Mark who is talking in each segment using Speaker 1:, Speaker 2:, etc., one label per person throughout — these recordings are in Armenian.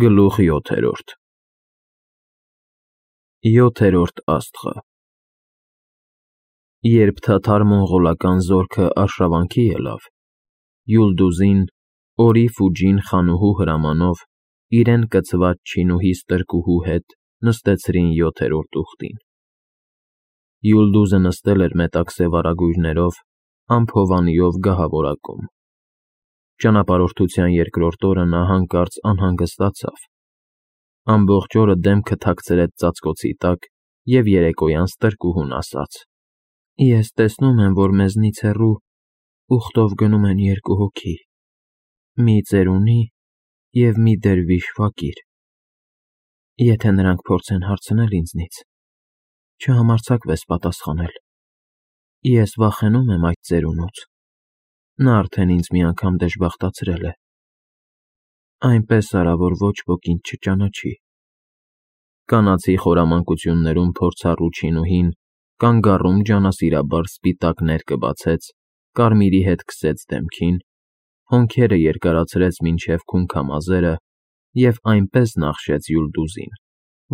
Speaker 1: Գլուխ 7-րդ Յոթերորդ աստղը Երբ թաթար մոնղոլական զորքը արշավանքի ելավ, Յուլդուզին, Օրի Ֆուջին խանուհու հրամանով իրեն կցված չինուհի ստրկուհու հետ նստեցրին 7-րդ ուխտին։ Յուլդուզը նստել էր մետաքսե վարագույրներով, ամփովանիով գահավորակում։ Ճանապարհորդության երկրորդ օրը նա հանկարծ անհանգստացավ։ Ամբողջ օրը դեմքը թաքցրեց ծածկոցի տակ և երեկոյան ստրկուհուն ասաց. Ես տեսնում եմ, որ մեզնից հեռու ուխտով գնում են երկու հոգի, մի ծերունի և մի դերվիշ ֆակիր։ Եթե նրանք փորձեն հարցնել ինձնից, չհամարձակվես պատասխանել։ Ես վախենում եմ այդ ծերունուց, նա արդեն ինձ մի անգամ դժբախտացրել է։ Այնպես արա, որ ոչ ոք ինձ չճանաչի։ Կանացի խորամանկություններում փորձառու չինուհին կանգառում ջանասիրաբար սպիտակ ներկը բացեց, կարմիրի հետ քսեց դեմքին, հոնքերը երկարացրեց մինչև քունքամազերը և այնպես նախշեց Յուլդուզին,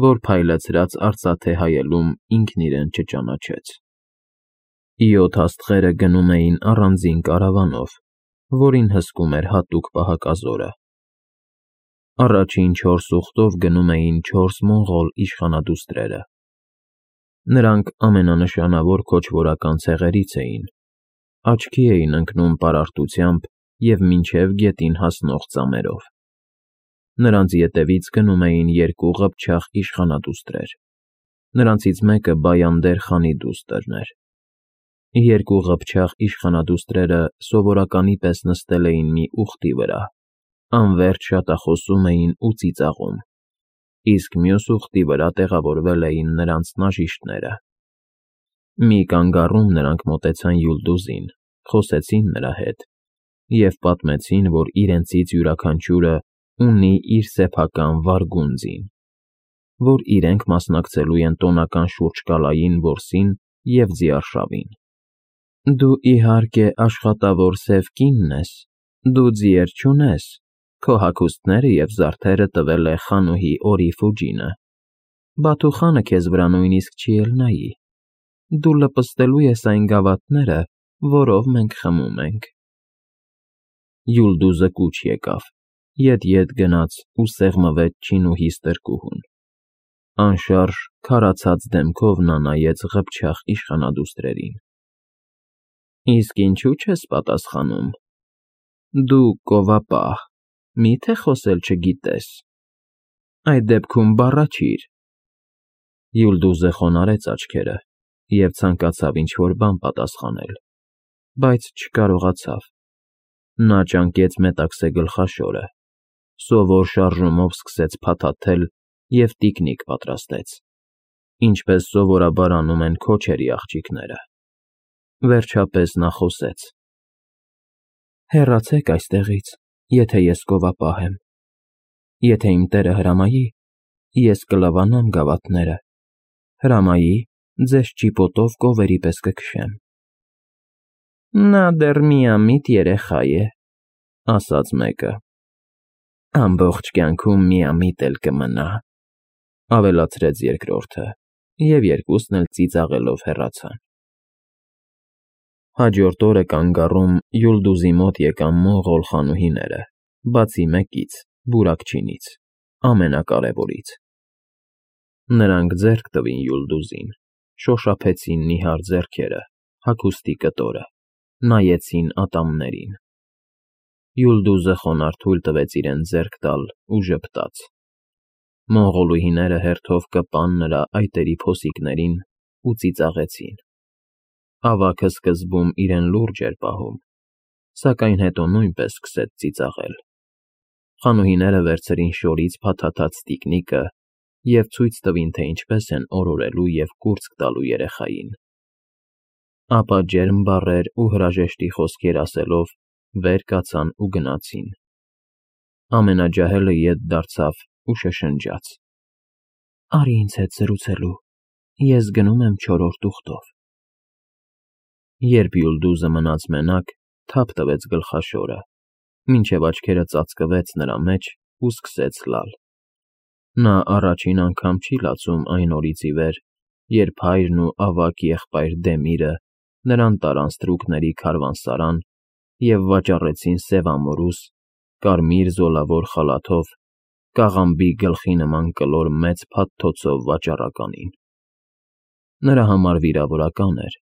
Speaker 1: որ փայլեցրած արծաթե հայելում ինքն իրեն չճանաչեց։ 7 աստղերը գնում էին առանձին կարավանով, որին հսկում էր հատուկ պահակազորը։ Առաջին 4 ուխտով գնում էին 4 մոնղոլ իշխանադուստրերը։ Նրանք ամենանշանավոր քոչվորական ցեղերից էին, աչքի էին ընկնում պարարտությամբ և մինչև գետին հասնող ծամերով։ Նրանց ետևից գնում էին 2 ղփչաղ իշխանադուստրեր։ Նրանցից մեկը Բայանդեր խանի դուստրն էր։ 2 ղփչաղ իշխանադուստրերը սովորականի պես նստել էին մի ուխտի վրա, անվերջ շատախոսում էին ու ծիծաղում, իսկ մյուս ուխտի վրա տեղավորվել էին նրանց նաժիշտները։ Մի կանգառում նրանք մոտեցան Յուլդուզին, խոսեցին նրա հետ և պատմեցին, որ իրենցից յուրաքանչյուրը ունի իր սեփական վարգունձին, որ իրենք մասնակցելու են տոնական շուրջկալային որսին և ձիարշավին։ Դու իհարկե աշխատավոր սև կինն ես, դու ձիեր չունես, քո հագուստները և զարդերը տվել է խանուհի Օրի Ֆուջինը, Բաթուխանը քեզ վրա նույնիսկ չի էլ նայի, դու լպստելու ես այն գավաթները, որով մենք խմում ենք։ Յուլդուզը կուչ եկավ, ետ գնաց ու սեղմվեց չինուհի ստրկուհուն։ Անշարժ քարացած դեմքով նա նայեց ղփչաղ իշխանադուստրերին։ Իսկ ինչու չես պատասխանում։ Դու կովապահ, մի՞թե խոսել չգիտես։ Այդ դեպքում բառաչիր։ Յուլդուզը խոնարհեց աչքերը և ցանկացավ ինչ-որ բան պատասխանել, բայց չկարողացավ։ Նա ճանկեց մետաքսե գլխաշորը, սովոր շարժումով սկսեց փաթաթել և տիկնիկ պատրաստեց, ինչպես սովորաբար անում են քոչերի աղջիկները։ Վերջապես նա խոսեց. Հեռացեք այստեղից, եթե ես կովապահ եմ։ Եթե իմ տերը հրամայի, ես կլավանամ գավաթները, հրամայի, ձեզ ճիպոտով կովերի պես կքշեմ։ Նա դեռ միամիտ երեխա է, ասաց մեկը։ Ամբողջ կյանքում միամիտ էլ կմնա, ավելացրեց երկրորդը, և երկուսն էլ ծիծաղելով հեռացան։ Հաջորդ օրը կանգառում Յուլդուզի մոտ եկան մոնղոլ խանուհիները, բացի մեկից, Բուրակչինից, ամենակարևորից։ Նրանք ձեռք տվին Յուլդուզին, շոշափեցին նիհար ձեռքերը, հագուստի կտորը, նայեցին ատամներին։ Յուլդուզը խոնարհ թույլ տվեց իրեն ձեռք տալ ու ժպտաց։ Մոնղոլուհիները հերթով կպան նրա այտերի փոսիկներին ու ծիծաղեցին։ Ավագը սկզբում իրեն լուրջ էր պահում, սակայն հետո նույնպես սկսեց ծիծաղել։ Խանուհիները վերցրին շորից փաթաթած տիկնիկը և ցույց տվին, թե ինչպես են օրորելու և կուրծք տալու երեխային։ Ապա ջերմ բառեր ու հրաժեշտի խոսքեր ասելով վեր կացան ու գնացին։ Ամենաջահելը ետ դարձավ ու շշնջաց. Արի ինձ հետ զրուցելու, ես գնում եմ 4-րդ ուխտով։ Երբ Յուլդուզը մնաց մենակ, թափ տվեց գլխաշորը, մինչև աչքերը ծածկվեց նրա մեջ ու սկսեց լալ։ Նա առաջին անգամ չի լացում այն օրից ի վեր, երբ հայրն ու ավագ եղբայր Դեմիրը նրան տարան ստրուկների քարավանսարան և վաճառեցին սև ամորուս, կարմիր զոլավոր խալաթով, կաղամբի գլխի նման կլոր մեծ փաթթոցով վաճառականին։ Նրա համար վիրավորական էր,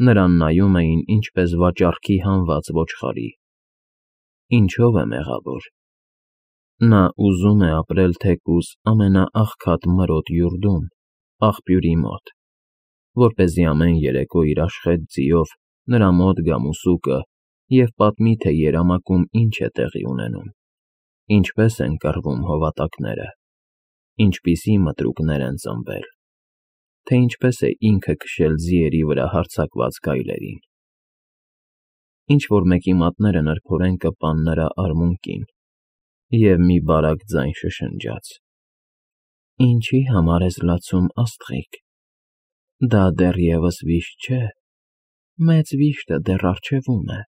Speaker 1: նրան նայում էին ինչպես վաճառքի հանված ոչխարի։ Ինչո՞վ է մեղավոր։ Նա ուզում է ապրել թեկուզ ամենաաղքատ մրոտ յուրդում, աղբյուրի մոտ, որպեսզի ամեն երեկո իր աշխետ ձիով նրա մոտ գա մուսուկը և պատմի, թե երամակում ինչ է տեղի ունենում, ինչպես են կռվում հովատակները, ինչպիսի մտրուկներ են ծնվել, թե ինչպես է ինքը քշել ձիերի վրա հարձակված գայլերին։ Ինչ-որ մեկի մատները նրբորեն կպան նրա արմունկին, և մի բարակ ձայն շշնջաց. «Ինչի համար ես լացում, աստղիկ, դա դեռևս վիշտ չէ, մեծ վիշտը դեռ առջևում է»։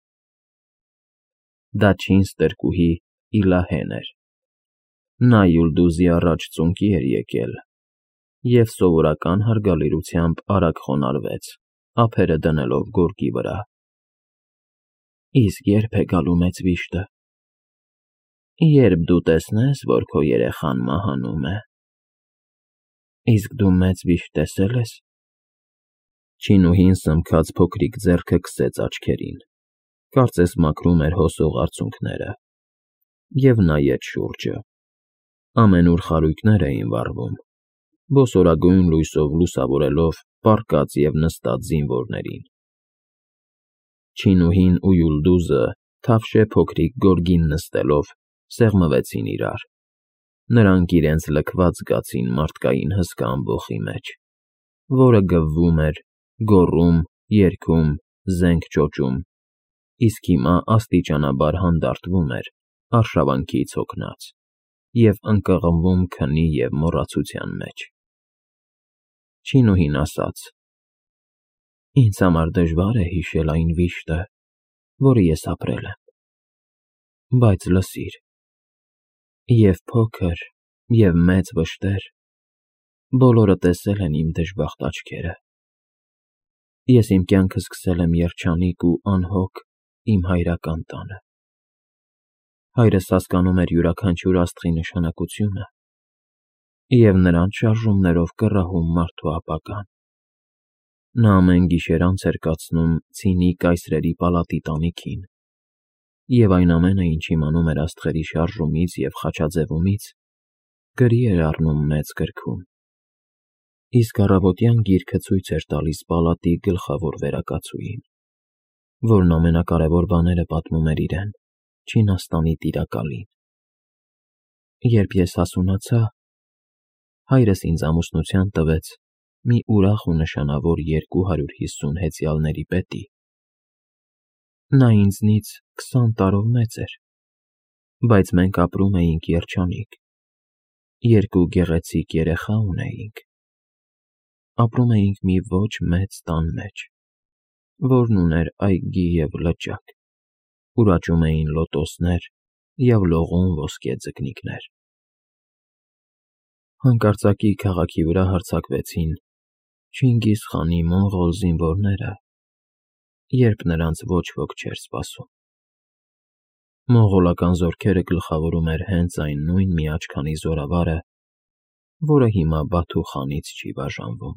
Speaker 1: Դա չինչ ստրկուհի Իլահեն էր։ Նա Յուլդուզի առաջ ծունկի էր եկել և սովորական հարգալիրությամբ արագ խոնարհվեց, ափերը դնելով գորգի վրա։ Իսկ ե՞րբ է գալու մեծ վիշտը։ Երբ դու տեսնես, որ քո երեխան մահանում է։ Իսկ դու մեծ վիշտ տեսե՞լ ես։ Չինուհին սմքած փոքրիկ ձեռքը քսեց աչքերին, կարծես մաքրում էր հոսող արցունքները, և նայեց շուրջը։ Ամենուր խարույկներ էին վառվում, ոսորագույն լույսով լուսավորելով պառկած և նստած զինվորներին։ Չինուհին ու Յուլդուզը, թավշե փոքրիկ գորգին նստելով, սեղմվեցին իրար։ Նրանք իրենց լքված զգացին մարդկային հսկա ամբոխի մեջ, որը գվվում էր, գոռում, երգում, զենք ճոճում, իսկ հիմա աստիճանաբար հանդարտվում էր, արշավանքից հոգնած, և ընկղմվում քնի և մոռացության մեջ։ Չինուհին ասաց. «Ինձ համար դժվար է հիշել այն վիշտը, որը ես ապրել եմ, բայց լսիր. և փոքր, և մեծ վշտեր, բոլորը տեսել են իմ դժբախտ աչքերը։ Ես իմ կյանքը սկսել եմ երջանիկ ու անհոգ իմ հայրական տանը։ Հայրս հասկանում էր յուրաքանչյուր աստղի նշանակությունը և նրանց շարժումներով կռահում մարդու ապագան։ Նա ամեն գիշեր անց էր կացնում ցինի կայսրերի պալատի տանիքին, և այն ամենը, ինչ իմանում էր աստղերի շարժումից և խաչաձևումից, գրի էր առնում մեծ գրքում, իսկ առավոտյան գիրքը ցույց էր տալիս պալատի գլխավոր վերակացուհին, որն ամենակարևոր բաները պատմում էր իրեն, Չինաստանի տիրակալին։ Երբ ես հասունացա, հայրս ինձ ամուսնության տվեց մի ուրախ ու նշանավոր 250 հեծյալների պետի։ Նա ինձնից 20 տարով մեծ էր, բայց մենք ապրում էինք երջանիկ, երկու գեղեցիկ երեխա ունեինք։ Ապրում էինք մի ոչ մեծ տան մեջ, որն ուներ այգի և լճակ, ուր աճում էին լոտոսներ և լողում ոսկե ձկնիկներ։ Հանկարծակի քաղաքի վրա հարձակվեցին Չինգիզ խանի մոնղոլ զինվորները, երբ նրանց ոչ ոք չէր սպասում։ Մոնղոլական զորքերը գլխավորում էր հենց այն նույն միաչքանի զորավարը, որը հիմա Բաթու խանից չի բաժանվում։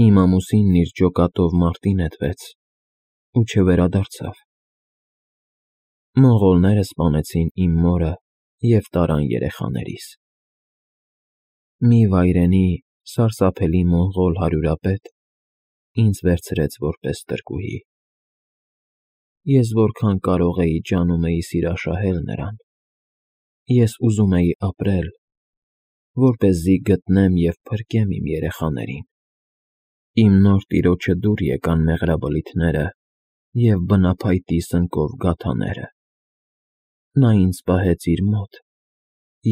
Speaker 1: Իմ ամուսինն իր ջոկատով մարտին նետվեց ու չվերադարձավ։ Մոնղոլները սպանեցին իմ մորը և տարան երեխաներիս։ Մի վայրենի, սարսափելի մոնղոլ հարյուրապետ ինձ վերցրեց որպես ստրկուհի։ Ես որքան կարող էի ջանումեի սիրաշահել նրան։ Ես ուզում էի ապրել, որպեսզի գտնեմ և փրկեմ իմ երեխաներին։ Իմ նոր տիրոջը դուր եկան մեղրաբլիթները և բնափայտի սնկով գաթաները։ Նա ինձ պահեց իր մոտ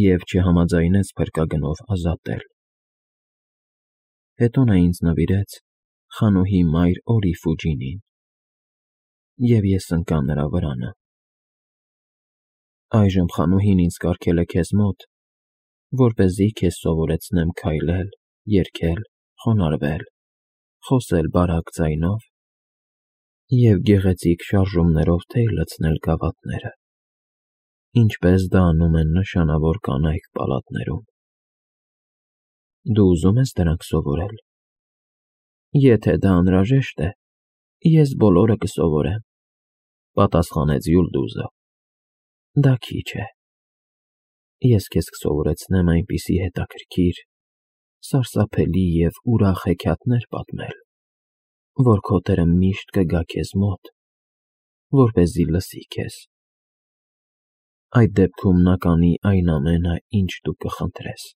Speaker 1: և չհամաձայնեց փրկագնով ազատել։ Հետո նա ինձ նվիրեց խանուհի մայր Օրի Ֆուջինին, և ես ընկա նրա վրանը։ Այժմ խանուհին ինձ կարգել է քեզ մոտ որպեսզի քեզ սովորեցնեմ քայլել, երգել, խոնարհվել, խոսել բարակ ձայնով և գեղեցիկ շարժումներով թեյ լցնել գավաթները, ինչպես դա անում են նշանավոր կանայք պալատներում։ Դու ուզում ես դրանք սովորել։ Եթե դա անհրաժեշտ է, ես բոլորը կսովորեմ, պատասխանեց Յուլդուզը։ Դա քիչ է։ Ես քեզ կսովորեցնեմ այնպիսի հետաքրքիր, սարսափելի և ուրախ հեքիաթներ պատմել, որ քո տերը միշտ կգա քեզ մոտ, որպեսզի լսի քեզ։ Այդ դեպքում նա կանի այն ամենը, ինչ դու կխնդրես։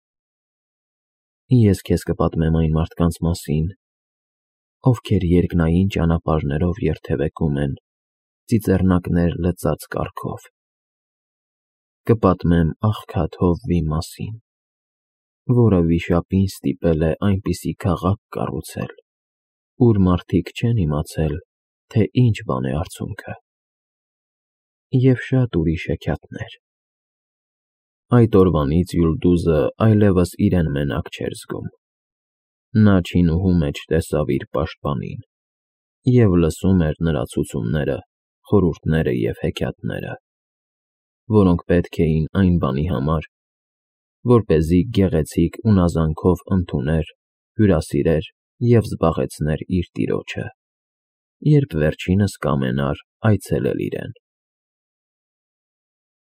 Speaker 1: Ես քեզ կպատմեմ այն մարդկանց մասին, ովքեր երկնային ճանապարհներով երթևեկում են ծիծեռնակներ լցած կառքով։ Կպատմեմ աղքատ հովվի մասին, որը վիշապին ստիպել է այնպիսի քաղաք կառուցել, ուր մարդիկ չեն իմացել, թե ինչ բան է արցունքը, և շատ ուրիշ հեքիաթներ։ Այդ օրվանից Յուլդուզը այլևս իրեն մենակ չէր զգում։ Նա չինուհու մեջ տեսավ իր պաշտպանին և լսում էր նրա ցուցումները, խորհուրդները և հեքիաթները, որոնք պետք էին այն բանի համար, որպեսզի գեղեցիկ ունազանքով ընդուներ, հյուրասիրեր և զբաղեցներ իր տիրոջը, երբ վերջինս կամենար այցելել իրեն։